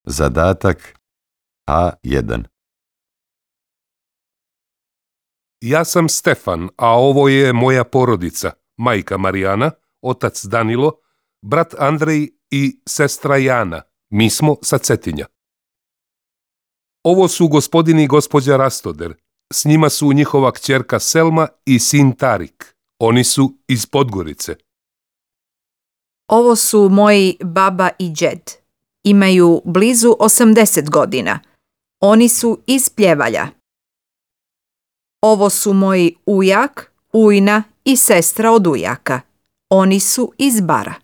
Zadatak A1. Ja sam Stefan, a ovo je moja porodica, majka Marijana, otac Danilo, brat Andrej i sestra Jana. Mi smo sa Cetinja. Ovo su gospodin i gospođa Rastoder. S njima su njihova kćerka Selma i sin Tarik. Oni su iz Podgorice. Ovo su moji baba i džed. Imaju blizu 80 godina. Oni su iz Pljevalja. Ovo su moji ujak, ujna i sestra od ujaka. Oni su iz Bara.